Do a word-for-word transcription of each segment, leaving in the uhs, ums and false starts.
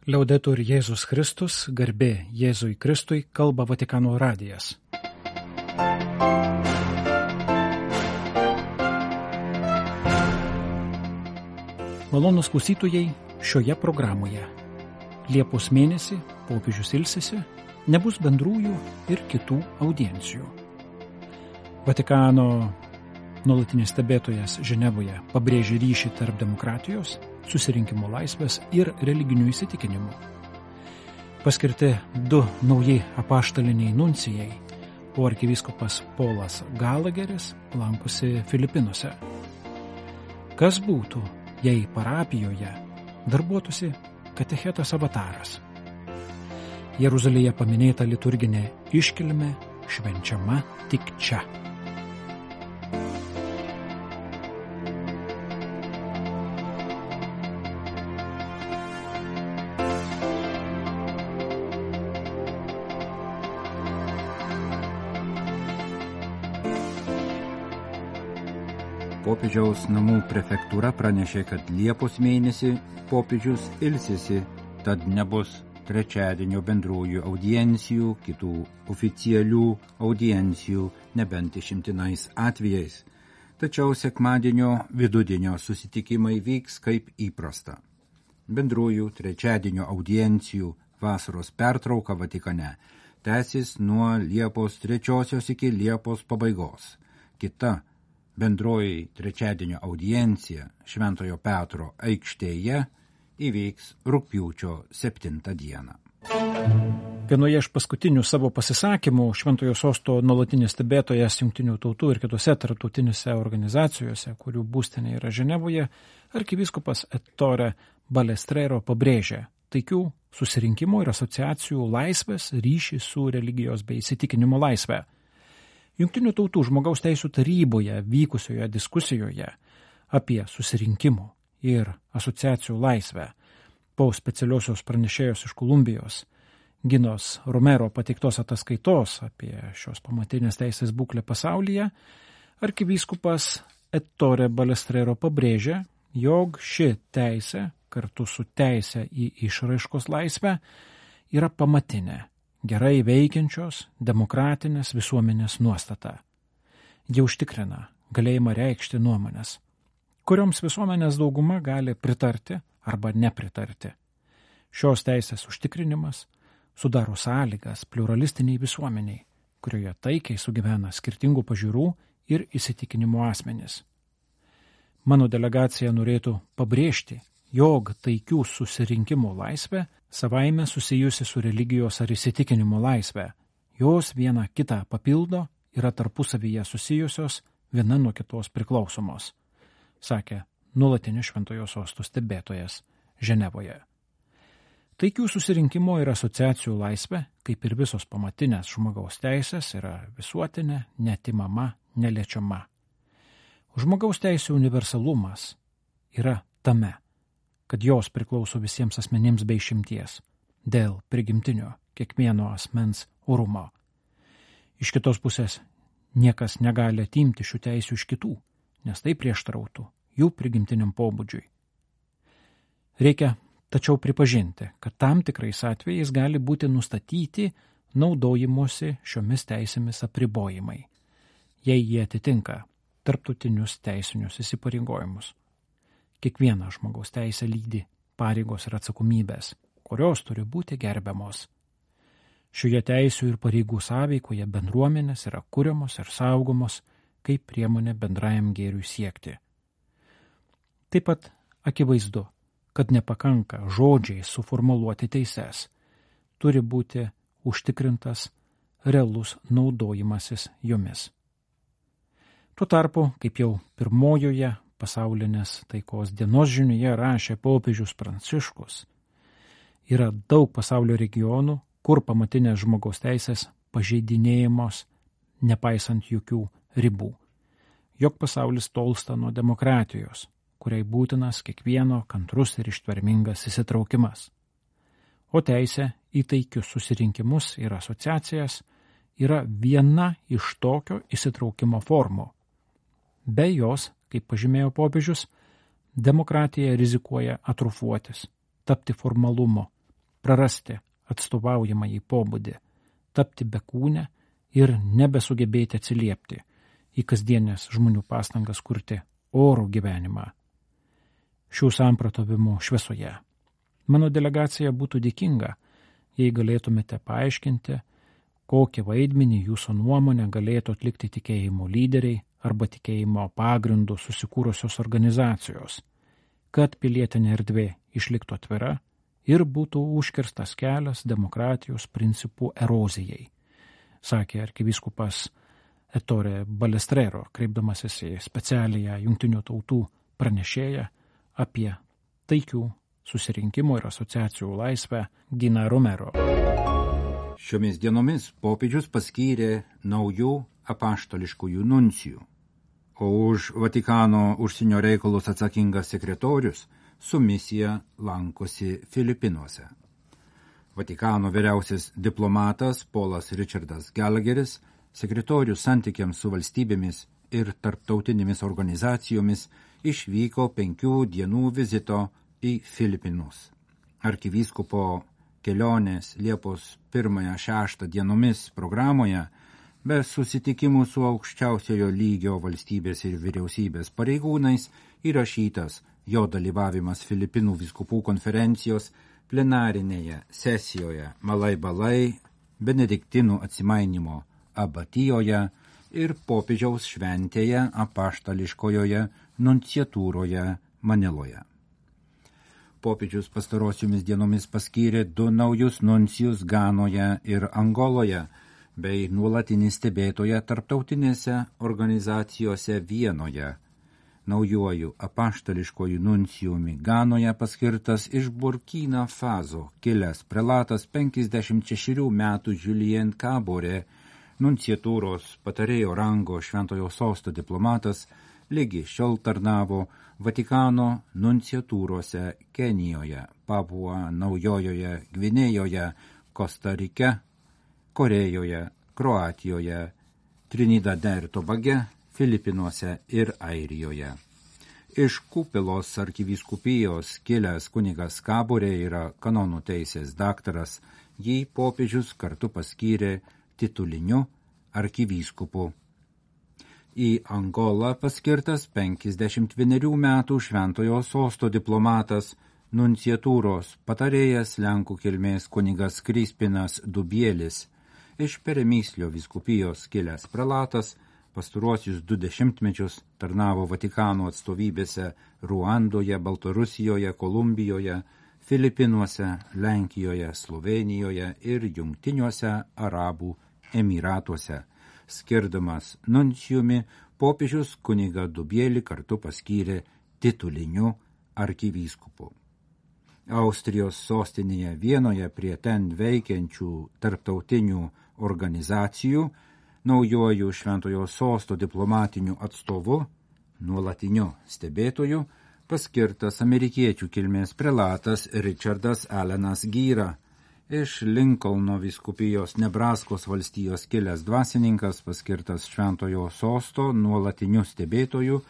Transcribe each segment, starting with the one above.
Liaudetur Jėzus Kristus, garbė Jėzui Kristui, kalba Vatikano radijas. Malonūs klausytojai, šioje programoje Liepos mėnesį popiežius ilsisi, nebus bendrųjų ir kitų audiencijų. Vatikano nuolatinis stebėtojas Ženevoje pabrėžė ryšį tarp demokratijos, susirinkimo laisvės ir religinių įsitikinimų. Paskirti du nauji apaštaliniai nuncijai, o arkivyskupas Polas Galageris lankosi Filipinuose. Kas būtų, jei parapijoje darbuotųsi katechetas avataras? Jeruzalėje paminėta liturginė iškilmė švenčiama tik čia. Popiežiaus namų prefektūra pranešė, kad Liepos mėnesį popiežius ilsisi, tad nebus trečiadienio bendrųjų audiencijų, kitų oficialių audiencijų, nebent išimtinais atvejais. Tačiau sekmadienio vidudienio susitikimai vyks kaip įprasta. Bendrųjų trečiadienio audiencijų vasaros pertrauka Vatikane tęsis nuo Liepos trečiosios iki Liepos pabaigos. Kita bendroji trečiadienio audiencija Šventojo Petro aikštėje įvyks rugpjūčio septintą dieną. Vienoje iš paskutinių savo pasisakymų Šventojo Sosto nuolatinis stebėtojas Jungtinių tautų ir kitose tarptautinėse organizacijose, kurių būstinė yra Ženevoje, arkivyskupas Ettore Balestrero pabrėžė taikių susirinkimų ir asociacijų laisvės ryšį su religijos bei įsitikinimo laisvė. Jungtinių tautų žmogaus teisų taryboje vykusioje diskusijoje apie susirinkimų ir asociacijų laisvę po specialiosios pranešėjos iš Kolumbijos Ginos Romero pateiktos ataskaitos apie šios pamatinės teisės būklę pasaulyje, arkivyskupas Ettore Balestrero pabrėžė, jog ši teisė kartu su teise į išraiškos laisvę yra pamatinė, gerai veikiančios demokratinės visuomenės nuostata. Jie užtikrina galėjimą reikšti nuomonės, kurioms visuomenės dauguma gali pritarti arba nepritarti. Šios teisės užtikrinimas sudaro sąlygas pluralistiniai visuomeniai, kurioje taikiai sugyvena skirtingų pažiūrų ir įsitikinimų asmenys. Mano delegacija norėtų pabrėžti, jog taikių susirinkimų laisvė savaime susijusi su religijos ar įsitikinimo laisvė. Jos viena kitą papildo, yra tarpusavyje susijusios, viena nuo kitos priklausomos, sakė nuolatinis Šventojo Sosto stebėtojas Ženevoje. Taikių susirinkimo ir asociacijų laisvė, kaip ir visos pamatinės žmogaus teisės, yra visuotinė, neatimama, neliečiama. Žmogaus teisių universalumas yra tame, kad jos priklauso visiems asmenims be išimties, dėl prigimtinio kiekvieno asmens orumo. Iš kitos pusės, niekas negali atimti šių teisių iš kitų, nes tai prieštarautų jų prigimtiniam pobūdžiui. Reikia tačiau pripažinti, kad tam tikrais atvejais gali būti nustatyti naudojimuose šiomis teisėmis apribojimai, jei jie atitinka tarptautinius teisinius įsipareigojimus. Kiekviena žmogaus teisė lydi pareigos ir atsakomybės, kurios turi būti gerbiamos. Šioje teisių ir pareigų sąveikoje bendruomenės yra kuriamos ir saugomos kaip priemonė bendrajam gėriui siekti. Taip pat akivaizdu, kad nepakanka žodžiai suformuluoti teises, turi būti užtikrintas realus naudojimasis jomis. Tuo tarpu, kaip jau pirmojoje pasaulinės taikos dienos žinioje rašė popiežius Pranciškus, yra daug pasaulio regionų, kur pamatinės žmogaus teisės pažeidinėjamos, nepaisant jokių ribų. Jog pasaulis tolsta nuo demokratijos, kuriai būtinas kiekvieno kantrus ir ištvermingas įsitraukimas. O teisė į taikius susirinkimus ir asociacijas yra viena iš tokio įsitraukimo formų. Be jos, kaip pažymėjo popiežius, demokratija rizikuoja atrofuotis, tapti formalumo, prarasti atstovaujamąjį pobūdį, tapti bekūnę ir nebesugebėti atsiliepti į kasdienės žmonių pastangas kurti orų gyvenimą. Šių samprotavimų šviesoje mano delegacija būtų dėkinga, jei galėtumėte paaiškinti, kokį vaidmenį jūsų nuomonė galėtų atlikti tikėjimo lyderiai arba tikėjimo pagrindų susikūrusios organizacijos, kad pilietinė erdvė išliktų atvira ir būtų užkirstas kelias demokratijos principų erozijai, sakė arkivyskupas Ettore Balestrero, kreipdamasis į specialiąją Jungtinių tautų pranešėją apie taikių susirinkimų ir asociacijų laisvę Gina Romero. Šiomis dienomis popiežius paskyrė naujų apaštališkųjų nuncijų, o už Vatikano užsienio reikalus atsakingas sekretorius su misija lankosi Filipinuose. Vatikano vyriausias diplomatas Polas Richardas Gallagheris, sekretorius santykiams su valstybėmis ir tarptautinėmis organizacijomis, išvyko penkių dienų vizito į Filipinus. Arkivyskupo kelionės Liepos pirmąją šeštą dienomis programoje, be susitikimų su aukščiausiojo lygio valstybės ir vyriausybės pareigūnais, įrašytas jo dalyvavimas Filipinų vyskupų konferencijos plenarinėje sesijoje Malai Balai, benediktinų atsimainimo abatijoje ir popiežiaus šventėje apaštališkojoje nunciatūroje Maniloje. Popiežius pastarosiomis dienomis paskyrė du naujus nuncijus Ganoje ir Angoloje, bei nuolatinį stebėtoją tarptautinėse organizacijose Vienoje. Naujuoju apaštališkoju nuncijumi Ganoje paskirtas iš Burkina Faso kilęs prelatas penkiasdešimt šešerių metų Julien Kabore, nunciatūros patarėjo rango Šventojo Sosto diplomatas, lygi šiol tarnavo Vatikano nunciatūrose Kenijoje, Papua Naujojoje Gvinėjoje, Kostarike, Korėjoje, Kroatijoje, Trinidade ir Tobage, Filipinuose ir Airijoje. Iš Kupilos arkivyskupijos kilęs kunigas Kaborė yra kanonų teisės daktaras, jį popiežius kartu paskyrė tituliniu arkivyskupu. Į Angolą paskirtas penkiasdešimt vienerių metų Šventojo Sosto diplomatas, nunciatūros patarėjas Lenkų kilmės kunigas Krispinas Dubielis, iš Peremyslio vyskupijos kilęs prelatas, pastaruosius du dešimtmečius tarnavo Vatikano atstovybėse Ruandoje, Baltarusijoje, Kolumbijoje, Filipinuose, Lenkijoje, Slovėnijoje ir Jungtiniuose Arabų Emyratuose. Skirdamas nuncijumi, popiežius kunigą Dubielį kartu paskyrė tituliniu arkivyskupu. Austrijos sostinėje Vienoje prie ten veikiančių tarptautinių organizacijų naujuoju Šventojo Sosto diplomatiniu atstovu, nuolatiniu stebėtoju, paskirtas amerikiečių kilmės prelatas Richardas Allenas Gyra. Iš Lincolno vyskupijos Nebraskos valstijos kilęs dvasininkas paskirtas Šventojo Sosto nuolatiniu stebėtoju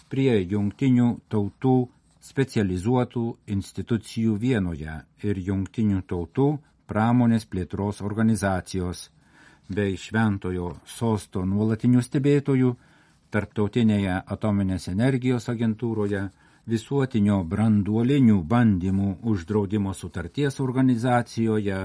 prie Jungtinių tautų specializuotų institucijų Vienoje ir Jungtinių tautų pramonės plėtros organizacijos, bei Šventojo Sosto nuolatinių stebėtojų Tarptautinėje atominės energijos agentūroje, Visuotinio branduolinių bandymų uždraudimo sutarties organizacijoje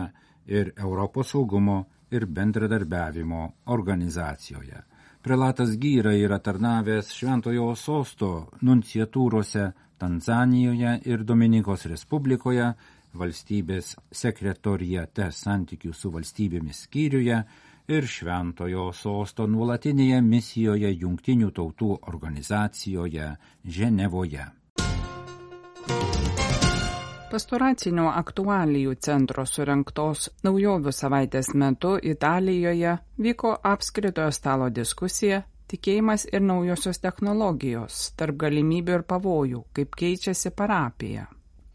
ir Europos saugumo ir bendradarbiavimo organizacijoje. Prelatas Gyra yra tarnavęs Šventojo Sosto nunciatūrose Tanzanijoje ir Dominikos Respublikoje, valstybės sekretoriate santykių su valstybėmis skyriuje ir Šventojo Sosto nuolatinėje misijoje Jungtinių tautų organizacijoje Ženevoje. Pastoracinių aktualijų centro surengtos naujovių savaitės metu Italijoje vyko apskritojo stalo diskusija Tikėjimas ir naujosios technologijos tarp galimybių ir pavojų, kaip keičiasi parapija.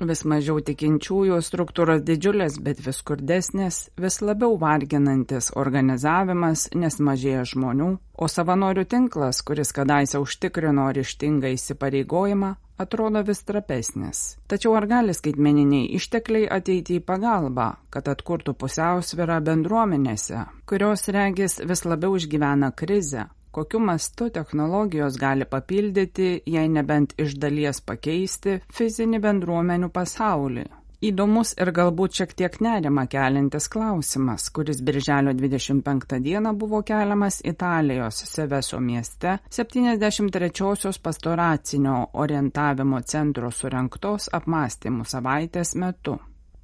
Vis mažiau tikinčiųjų, struktūros didžiulės, bet vis skurdesnės, vis labiau varginantis organizavimas, nes mažėja žmonių, o savanorių tinklas, kuris kadaise užtikrino ryžtingą įsipareigojimą, atrodo vis trapesnis. Tačiau ar gali skaitmeniniai ištekliai ateiti į pagalbą, kad atkurtų pusiausvyrą bendruomenėse, kurios regis vis labiau išgyvena krizę? Kokiu mastu technologijos gali papildyti, jei nebent iš dalies pakeisti, fizinį bendruomenių pasaulį? Įdomus ir galbūt šiek tiek nerimą keliantis klausimas, kuris birželio dvidešimt penktą dieną buvo keliamas Italijos Seveso mieste septyniasdešimt trečiosios pastoracinio orientavimo centro surengtos apmąstymų savaitės metu.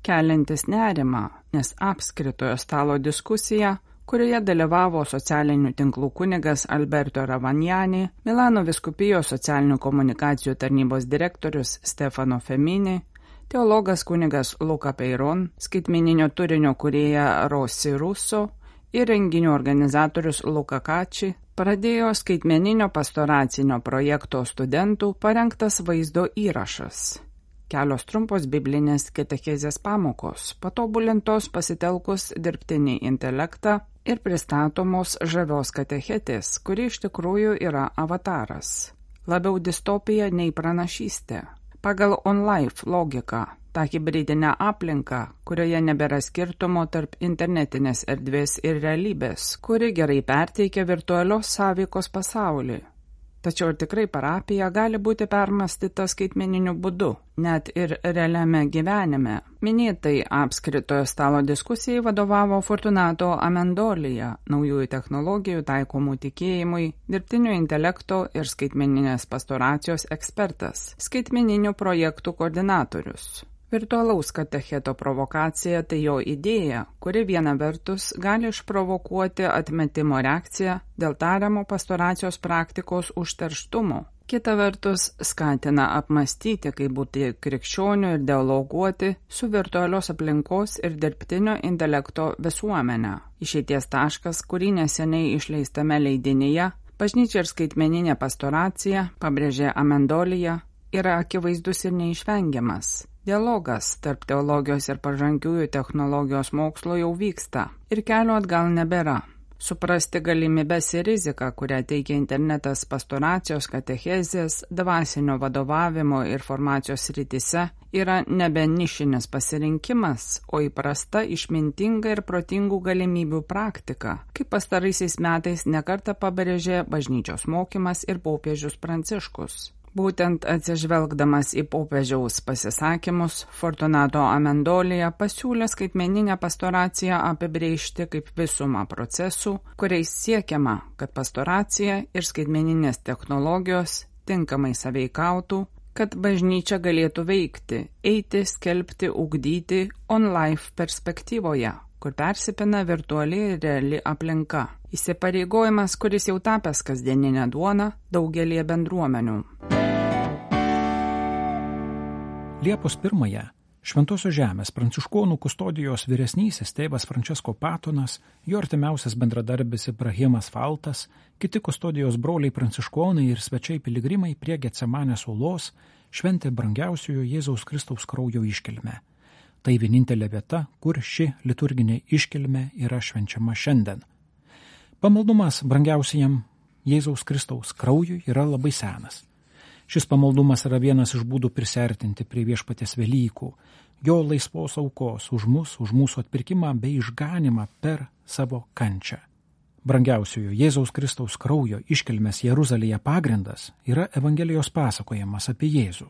Keliantis nerimą, nes apskritojo stalo diskusija, kurioje dalyvavo socialinių tinklų kunigas Alberto Ravagnani, Milano vyskupijos socialinių komunikacijų tarnybos direktorius Stefano Femini, teologas kunigas Luca Peiron, skaitmeninio turinio kūrėja Rossi Russo ir renginių organizatorius Luca Kači, pradėjo skaitmeninio pastoracinio projekto studentų parengtas vaizdo įrašas. Kelios trumpos biblinės katechezės pamokos, patobulintos pasitelkus dirbtinį intelektą ir pristatomos žavios katechetės, kuri iš tikrųjų yra avataras. Labiau distopija nei pranašystė. Pagal OnLife logiką, tą hibridinę aplinką, kurioje nebėra skirtumo tarp internetinės erdvės ir realybės, kuri gerai perteikia virtualios sąveikos pasaulį. Tačiau ir tikrai parapija gali būti permąstyta skaitmeniniu būdu, net ir realiame gyvenime. Minėtai apskritojo stalo diskusijai vadovavo Fortunato Amendolija, naujųjų technologijų taikomų tikėjimui, dirbtinio intelekto ir skaitmeninės pastoracijos ekspertas, skaitmeninių projektų koordinatorius. Virtualaus katecheto provokacija tai jo idėja, kuri viena vertus gali išprovokuoti atmetimo reakciją dėl tariamo pastoracijos praktikos užterštumo. Kita vertus skatina apmastyti, kaip būti krikščionių ir dialoguoti su virtualios aplinkos ir dirbtinio intelekto visuomenė. Išeities taškas, kurį neseniai išleistame leidinyje, Bažnyčia ir skaitmeninė pastoracija, pabrėžė Amendolija, yra akivaizdus ir neišvengiamas. Dialogas tarp teologijos ir pažangiųjų technologijos mokslo jau vyksta ir kelio atgal nebėra. Suprasti galimybes ir riziką, kurią teikia internetas pastoracijos, katechezės, dvasinio vadovavimo ir formacijos srityse, yra nebe nišinis pasirinkimas, o įprasta, išmintinga ir protingų galimybių praktika, kaip pastaraisiais metais nekartą pabrėžė bažnyčios mokymas ir popiežius Pranciškus. Būtent atsižvelgdamas į popiežiaus pasisakymus, Fortunato Amendolija pasiūlė skaitmeninę pastoraciją apibrėžti kaip visumą procesų, kuriais siekiama, kad pastoracija ir skaitmeninės technologijos tinkamai sąveikautų, kad bažnyčia galėtų veikti, eiti, skelbti, ugdyti OnLife perspektyvoje, kur persipina virtuali ir reali aplinka. Įsipareigojimas, kuris jau tapęs kasdieninę duoną daugelie bendruomenių. Liepos pirmąją Šventosios žemės pranciškonų kustodijos vyresnysis tėvas Francesco Patonas, jo artimiausias bendradarbis Ibrahimas Faltas, kiti kustodijos broliai pranciškonai ir svečiai piligrimai prie Getsemanės uolos šventė brangiausiojo Jėzaus Kristaus kraujo iškilmę. Tai vienintelė vieta, kur ši liturginė iškilmė yra švenčiama šiandien. Pamaldumas brangiausiajam Jėzaus Kristaus kraujui yra labai senas. Šis pamaldumas yra vienas iš būdų prisiartinti prie viešpaties Velykų, jo laisvos aukos už mus, už mūsų atpirkimą bei išganimą per savo kančią. Brangiausiojo Jėzaus Kristaus kraujo iškilmės Jeruzalėje pagrindas yra Evangelijos pasakojimas apie Jėzų,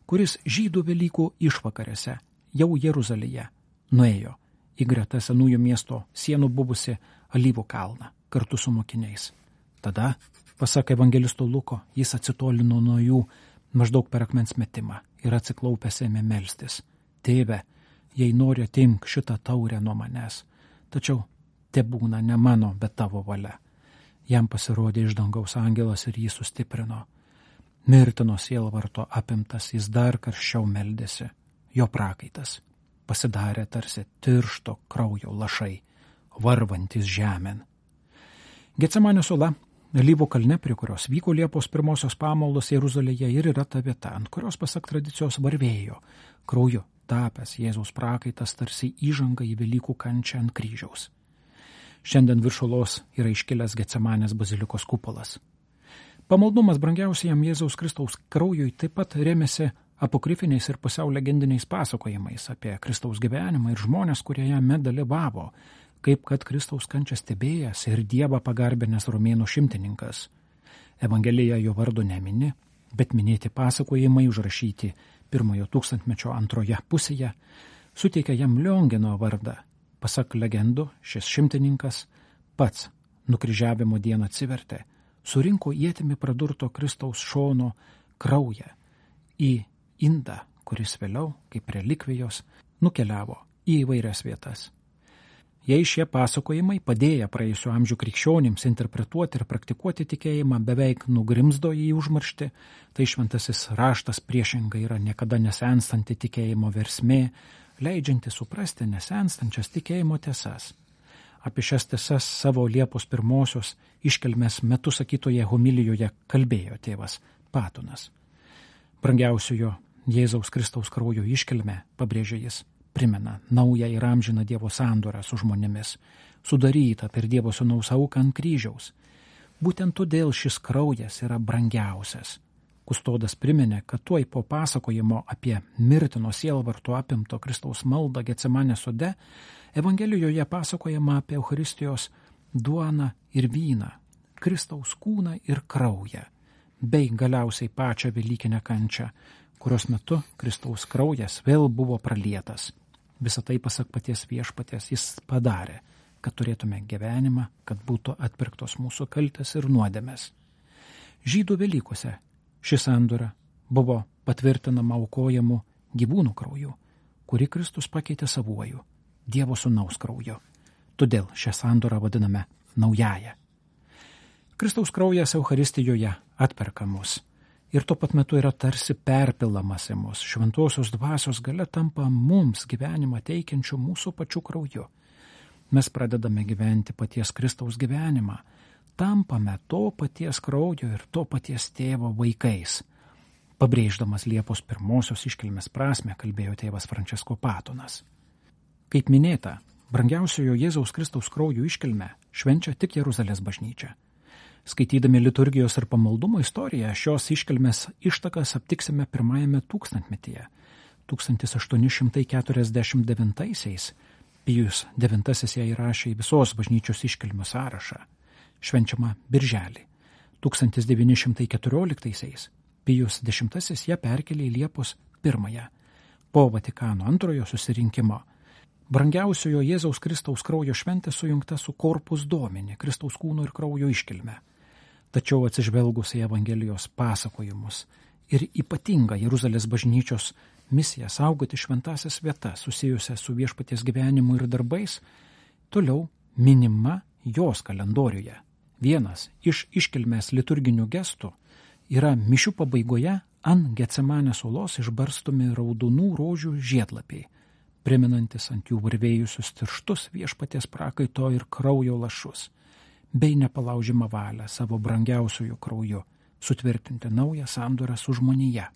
kuris žydų Velykų išvakarėse jau Jeruzalėje nuėjo į greta senųjų miesto sienų buvusi Alyvų kalną kartu su mokiniais. Tada, pasak evangelisto Luko, jis atsitolino nuo jų maždaug per akmens metimą ir atsiklaupęs ėmė melstis. Tėve, jei nori, atimk šitą taurę nuo manęs, tačiau tebūna ne mano, bet tavo valia. Jam pasirodė iš dangaus angelas ir jį sustiprino. Mirtino sielvarto apimtas, jis dar karščiau meldėsi. Jo prakaitas pasidarė tarsi tiršto kraujo lašai, varvantis žemėn. Getsemanės uola, Alyvų kalne, prie kurios vyko Liepos pirmosios pamaldos Jeruzalėje, ir yra ta vieta, ant kurios pasak tradicijos varvėjo krauju tapęs Jėzaus prakaitas tarsi įžanga į Velykų kančią ant kryžiaus. Šiandien virš uolos yra iškilęs Getsemanės bazilikos kupolas. Pamaldumas brangiausiam Jėzaus Kristaus kraujui taip pat remiasi apokrifiniais ir pusiau legendiniais pasakojimais apie Kristaus gyvenimą ir žmonės, kurie jame dalyvavo, kaip kad Kristaus kančią stebėjęs ir Dievą pagarbinęs romėnų šimtininkas. Evangelija jo vardo nemini, bet minėti pasakojimai užrašyti pirmojo tūkstantmečio antroje pusėje suteikia jam Liongino vardą. Pasak legendų, šis šimtininkas pats nukryžiavimo dieną atsivertė, surinko ietimi pradurto Kristaus šono kraują į indą, kuris vėliau, kaip relikvijos, nukeliavo į įvairias vietas. Jei šie pasakojimai padėję praėjusių amžių krikščionims interpretuoti ir praktikuoti tikėjimą beveik nugrimzdo į užmarštį, tai šventasis raštas priešingai yra niekada nesenstanti tikėjimo versmė, leidžianti suprasti nesenstančias tikėjimo tiesas. Apie šias tiesas savo Liepos pirmosios iškelmės metu sakytoje homilijoje kalbėjo tėvas Patonas. Brangiausiojo Jėzaus Kristaus kraujo iškelmė, pabrėžė jis, primena naują ir amžiną Dievo sandorą su žmonėmis, sudarytą per Dievo sūnaus auką ant kryžiaus. Būtent todėl šis kraujas yra brangiausias. Kustodas priminė, kad tuoj po pasakojimo apie mirtino sielvarto apimto Kristaus maldą Getsemanės sode, Evangelijoje pasakojama apie Eucharistijos duoną ir vyną, Kristaus kūną ir kraują, bei galiausiai pačią velykinę kančią, kurios metu Kristaus kraujas vėl buvo pralietas. Visą tai, pasak paties viešpaties, jis padarė, kad turėtume gyvenimą, kad būtų atpirktos mūsų kaltės ir nuodėmės. Žydų Velykose ši sandora buvo patvirtinama aukojamu gyvūnų krauju, kurį Kristus pakeitė savuoju, Dievo sūnaus krauju. Todėl šią sandorą vadiname naująją. Kristaus kraujas Eucharistijoje atperka mus ir tuo pat metu yra tarsi perpilamas į mus. Šventosios dvasios galia tampa mums gyvenimą teikiančių mūsų pačių krauju. Mes pradedame gyventi paties Kristaus gyvenimą, tampame to paties kraujo ir to paties tėvo vaikais. Pabrėždamas Liepos pirmosios iškilmės prasmę, kalbėjo tėvas Frančisko Patonas. Kaip minėta, brangiausiojo Jėzaus Kristaus kraujo iškilmę švenčia tik Jeruzalės bažnyčia. Skaitydami liturgijos ir pamaldumo istoriją, šios iškilmės ištakas aptiksime pirmajame tūkstantmetyje. tūkstantis aštuoni šimtai keturiasdešimt devintaisiais Pijus devintasis ją įrašė į visos bažnyčios iškilmių sąrašą, švenčiama birželį. tūkstantis devyni šimtai keturioliktaisiais Pijus dešimtasis ją perkelė į Liepos pirmąją. Po Vatikano antrojo susirinkimo brangiausiojo Jėzaus Kristaus kraujo šventė sujungta su Corpus Domini, Kristaus kūno ir kraujo iškilme. Tačiau atsižvelgus į Evangelijos pasakojimus ir ypatingą Jeruzalės bažnyčios misiją saugoti šventasias vietas susijusią su viešpaties gyvenimu ir darbais, toliau minima jos kalendoriuje. Vienas iš iškilmės liturginių gestų yra mišių pabaigoje ant Getsemanės uolos išbarstomi raudonų rožių žiedlapiai, priminantis ant jų varvėjusius tirštus viešpaties prakaito ir kraujo lašus, bei nepalaužimą valią savo brangiausiųjų krauju sutvirtinti naują sandorą su žmonija.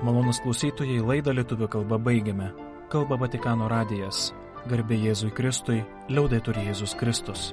Malonūs klausytojai, laidą lietuvių kalba baigiame. Kalba Vatikano radijas. Garbė Jėzui Kristui, liaudetur Jėzus Kristus.